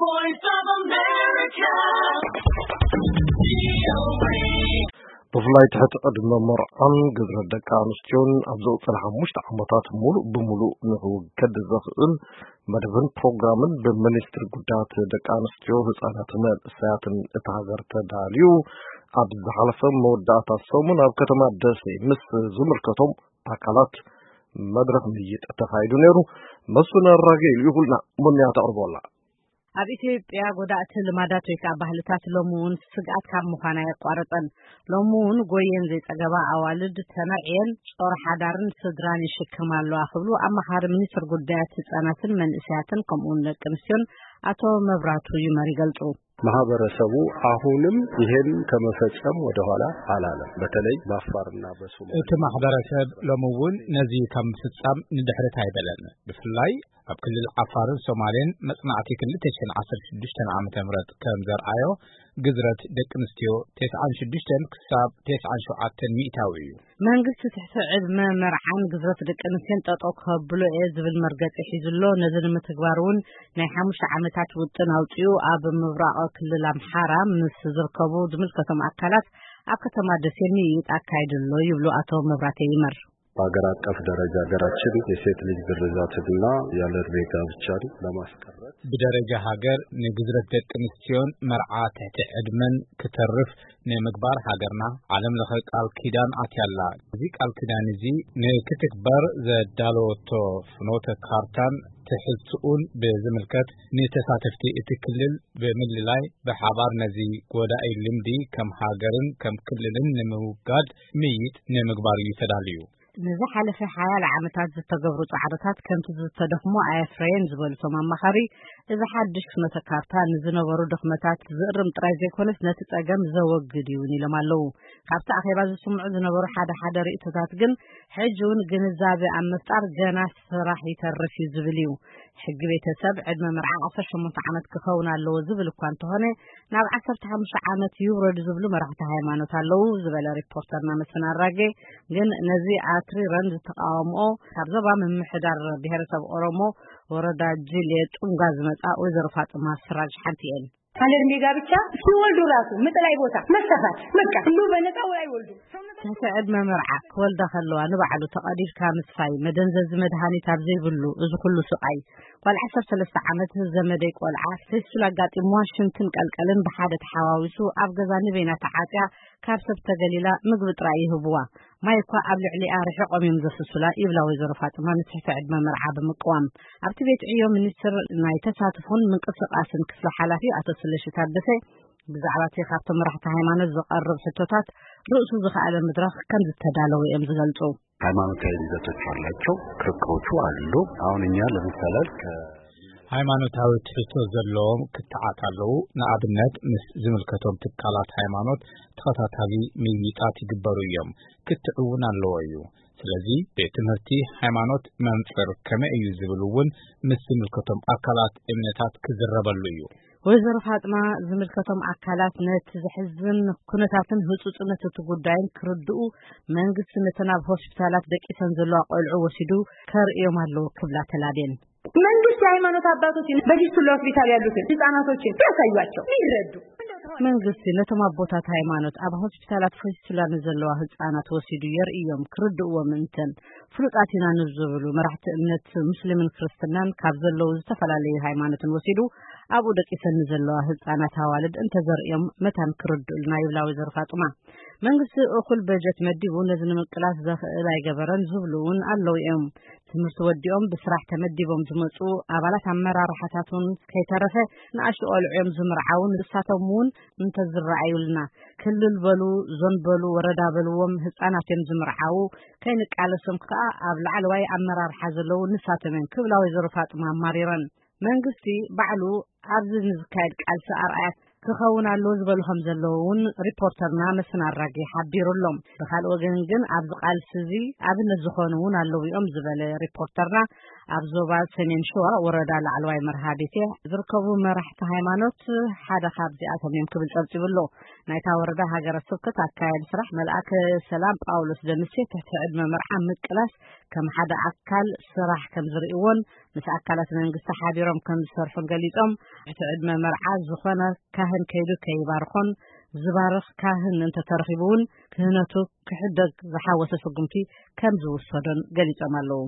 Voice of America. ብፍላይ ትሕቲ ዕድመ መርዓን ግዝረት ደቂ ኣንስትዮን ኣብ ዝቕፅል ሓሙሽተ ዓመታት ሙሉእ ብሙሉእ ንክውገድ ዘኽእል መደብን ፕሮግራምን ብሚኒስትሪ ጉዳያት ደቂ ኣንስትዮ፣ ህፃናትን መንእሰያትን እታ ሃገር ተዳልዩ ኣብ ዝሓለፈ መወዳእታ ሰሙን ኣብ ከተማ ደሴ ምስ ዝምልከቶም ኣካላት መድረኽ ምይይጥ ተኻይዱ ነይሩ። መስፍን ኣራጌ ልኢኹልና፣ ሞንያ ተቕርቦ ኣላ። ኣብ ኢትዮጵያ ጎዳእቲ ልማዳት ወይ ከዓ ባህልታት ሎሚ እውን ስግኣት ካብ ምዃን ኣየቋረፀን። ሎሚ እውን ጎየን ዘይፀገባ ኣዋልድ ተመርዕየን ጾር ሓዳርን ስድራን ይሽከማ ኣለዋ ክብሉ ኣማኻሪ ሚኒስትር ጉዳያት ህፃናትን መንእሰያትን ከምኡ እውን ደቂ ኣንስትዮን ኣቶ መብራቱ ይመር ይገልፁ። ማህበረሰቡ አሁንም ይሄን ከመፈጸም ወደኋላ አላለም። በተለይ በአፋርና በሶማሌ እቲ ማሕበረሰብ ሎሚ እውን ነዚ ካብ ምፍጻም ንድሕሪት ኣይበለን። ብፍላይ ኣብ ክልል ዓፋርን ሶማሌን መጽናዕቲ ክልተ ሽሕን ዓሰርተ ሽዱሽተን ዓመተ ምህረት ከም ዘርኣዮ፣ ግዝረት ደቂ ኣንስትዮ ተስዓን ሽዱሽተን ክሳብ ተስዓን ሸውዓተን ሚእታዊ እዩ። መንግስቲ ትሕቲ ዕድመ መርዓን ግዝረት ደቂ ኣንስትዮን ጠጠው ከብሎ እየ ዝብል መርገጺ ሒዙ ኣሎ። ነዚ ንምትግባር እውን ናይ ሓሙሽተ ዓመታት ውጥን ኣውጺኡ ኣብ ምብራቕ ክልል ኣምሓራ ምስ ዝርከቡ ዝምልከቶም ኣካላት ኣብ ከተማ ደሴ ምይይጥ ኣካይዱ ኣሎ ይብሉ ኣቶ መብራቴ ይመር። በሀገር አቀፍ ደረጃ ሀገራችን የሴት ልጅ ግርዛትንና ያለ ዕድሜ ጋብቻን ለማስቀረት ብደረጃ ሃገር ንግዝረት ደቂ ኣንስትዮን መርዓ ትሕቲ ዕድመን ክተርፍ ንምግባር ሃገርና ዓለም ለኸ ቃል ኪዳን ኣትያላ። እዚ ቃል ኪዳን እዚ ንክትግበር ዘዳለወቶ ፍኖተ ካርታን ትሕዝትኡን ብዝምልከት ንተሳተፍቲ እቲ ክልል ብምልላይ ብሓባር ነዚ ጎዳኢ ልምዲ ከም ሃገርን ከም ክልልን ንምውጋድ ምይይጥ ንምግባር እዩ ተዳልዩ። ንዝሓለፈ ሓያለ ዓመታት ዝተገብሩ ጻዕርታት ከምቲ ዝተደኽሞ ኣየፍረየን ዝበሉ እቶም ኣማኻሪ፣ እዚ ሓድሽ ፍኖተ ካርታ ንዝነበሩ ድኽመታት ዝእርም ጥራይ ዘይኮነስ ነቲ ጸገም ዘወግድ እዩ እውን ኢሎም ኣለዉ። ካብቲ ኣኼባ ዝስምዑ ዝነበሩ ሓደ ሓደ ርእይቶታት ግን ሕጂ እውን ግንዛበ ኣብ ምፍጣር ገና ስራሕ ይተርፍ እዩ ዝብል እዩ። ሕጊ ቤተሰብ ዕድመ መርዓ ዓሰርተ ሸሞንተ ዓመት ክኸውን ኣለዎ ዝብል እኳ እንተኾነ፣ ናብ ዓሰርተ ሓሙሽተ ዓመት ይውረዱ ዝብሉ መራሕቲ ሃይማኖት ኣለዉ ዝበለ ሪፖርተርና መስፍን ኣራጌ፣ ግን ነዚ ኣትሪረን ዝተቃወምኦ ካብ ዞባ ምምሕዳር ብሄረሰብ ኦሮሞ ወረዳ ጅሌ ጡንጋ ዝመጻ ወይዘሮ ፋጥማ ስራጅ ሓንቲ እየን። ካለ ዕድሜ ጋብቻ ሲወልዱ ራሱ ምጥላይ ቦታ መሰፋት በቃ ሁሉ በነፃ ወይ አይወልዱ። ትሕቲ ዕድመ መርዓ ክወልዳ ከለዋ ንባዕሉ ተቐዲድካ ምስፋይ፣ መደንዘዚ መድሃኒት ኣብ ዘይብሉ እዚ ኩሉ ስቓይ። ጓል ዓሰርተ ሰለስተ ዓመት ዘመደይ ቆልዓ ፌስቱላ ኣጋጢምዋ ሽንትን ቀልቀልን ብሓደ ተሓዋዊሱ ኣብ ገዛ ንበይና ተዓጽያ ካብ ሰብ ተገሊላ ምግቢ ጥራይ ይህብዋ። ማይ እኳ ኣብ ልዕሊኣ ርሒቖም እዮም ዘፍስሱላ ይብላ ወይዘሮ ፋጥማ ንትሕቲ ዕድመ መርዓ ብምቅዋም። ኣብቲ ቤት ዕዮ ሚኒስትር ናይ ተሳትፎን ምንቅስቃስን ክፍሊ ሓላፊ ኣቶ ስለሺ ታደሰ ብዛዕባ እቲ ካብቶም መራሕቲ ሃይማኖት ዝቐርብ ሕቶታት ርእሱ ዝኸኣለ መድረኽ ከም ዝተዳለወ እዮም ዝገልጹ። ሃይማኖታዊ ይዘቶች አላቸው፣ ክርክሮቹ አሉ። አሁን እኛ ለምሳሌ ከ- ሃይማኖታዊ ትሕዝቶ ዘለዎም ክትዓት ኣለዉ። ንኣብነት ምስ ዝምልከቶም ትካላት ሃይማኖት ተኸታታሊ ምይይጣት ይግበሩ እዮም። ክትዕ እውን ኣለዎ እዩ። ስለዚ ቤት ትምህርቲ ሃይማኖት መንፅር ከመይ እዩ ዝብል እውን ምስ ዝምልከቶም ኣካላት እምነታት ክዝረበሉ እዩ። ወይዘሮ ፋጥማ ዝምልከቶም ኣካላት ነቲ ዘሕዝን ኩነታትን ህፁፅነት እቲ ጉዳይን ክርድኡ መንግስቲ ነተን ኣብ ሆስፒታላት ደቂሰን ዘለዋ ቆልዑ ወሲዱ ከርእዮም ኣለዎ ክብላ ተላቤን። መንግስት የሃይማኖት አባቶችን በፊስቱላ ሆስፒታል ያሉትን ህጻናቶችን ቢያሳዩአቸው ቢረዱ። መንግስቲ ነቶም ኣቦታት ሃይማኖት ኣብ ሆስፒታላት ፊስቱላ ንዘለዋ ህጻናት ወሲዱ የርእዮም ክርድእዎም እንተን ፍሉጣት ኢና ንዝብሉ መራሕቲ እምነት ሙስሊምን ክርስትናን ካብ ዘለዉ ዝተፈላለዩ ሃይማኖትን ወሲዱ ኣብኡ ደቂሰን ንዘለዋ ህጻናት ኣዋልድ እንተዘርእዮም መታን ክርድኡልና ይብላ ወይዘሮ ፋጡማ። መንግስቲ እኹል በጀት መዲቡ ነዚ ንምቅላስ ዘኽእል ኣይገበረን ዝብሉ እውን ኣለዉ እዮም። ትምህርቲ ወዲኦም ብስራሕ ተመዲቦም ዝመፁ ኣባላት ኣመራርሓታት እውን ከይተረፈ ንኣሽቱ ቆልዑ እዮም ዝምርዓዉ። ንሳቶም እውን እንተዝረኣዩልና ክልል በሉ ዞን በሉ ወረዳ በልዎም ህፃናት እዮም ዝምርዓዉ። ከይንቃለሶም ከዓ ኣብ ላዕለዋይ ኣመራርሓ ዘለዉ ንሳቶም እዮም ክብላ ወይዘሮ ፋጥማ ኣማሪረን። መንግስቲ ባዕሉ ኣብዚ ንዝካየድ ቃልሲ ኣርኣያ ክኸውን ኣለዎ ዝበሉ ከም ዘለዉ እውን ሪፖርተርና መስፍን ኣራጌ ሓቢሩ ኣሎ። ብኻልእ ወገን ግን ኣብዚ ቃልሲ እዚ ኣብነት ዝኾኑ እውን ኣለዉ እዮም ዝበለ ሪፖርተርና፣ ኣብ ዞባ ሰሜን ሸዋ ወረዳ ላዕለዋይ መርሃ ቤቴ ዝርከቡ መራሕቲ ሃይማኖት ሓደ ካብዚኣቶም እዮም ክብል ጸብጺቡ ኣሎ። ናይታ ወረዳ ሃገረ ስብከት ኣካያዲ ስራሕ መልኣከ ሰላም ጳውሎስ ደምሴ ትሕቲ ዕድመ መርዓ ምቅላስ ከም ሓደ ኣካል ስራሕ ከም ዝርእይዎን ምስ ኣካላት መንግስቲ ሓቢሮም ከም ዝሰርሑን ገሊጾም፣ እቲ ዕድመ መርዓ ዝኾነ ካህን ከይዱ ከይባርኾን ዝባርኽ ካህን እንተተረኺቡ እውን ክህነቱ ክሕደግ ዝሓወሰ ስጉምቲ ከም ዝውሰዶን ገሊጾም ኣለዉ።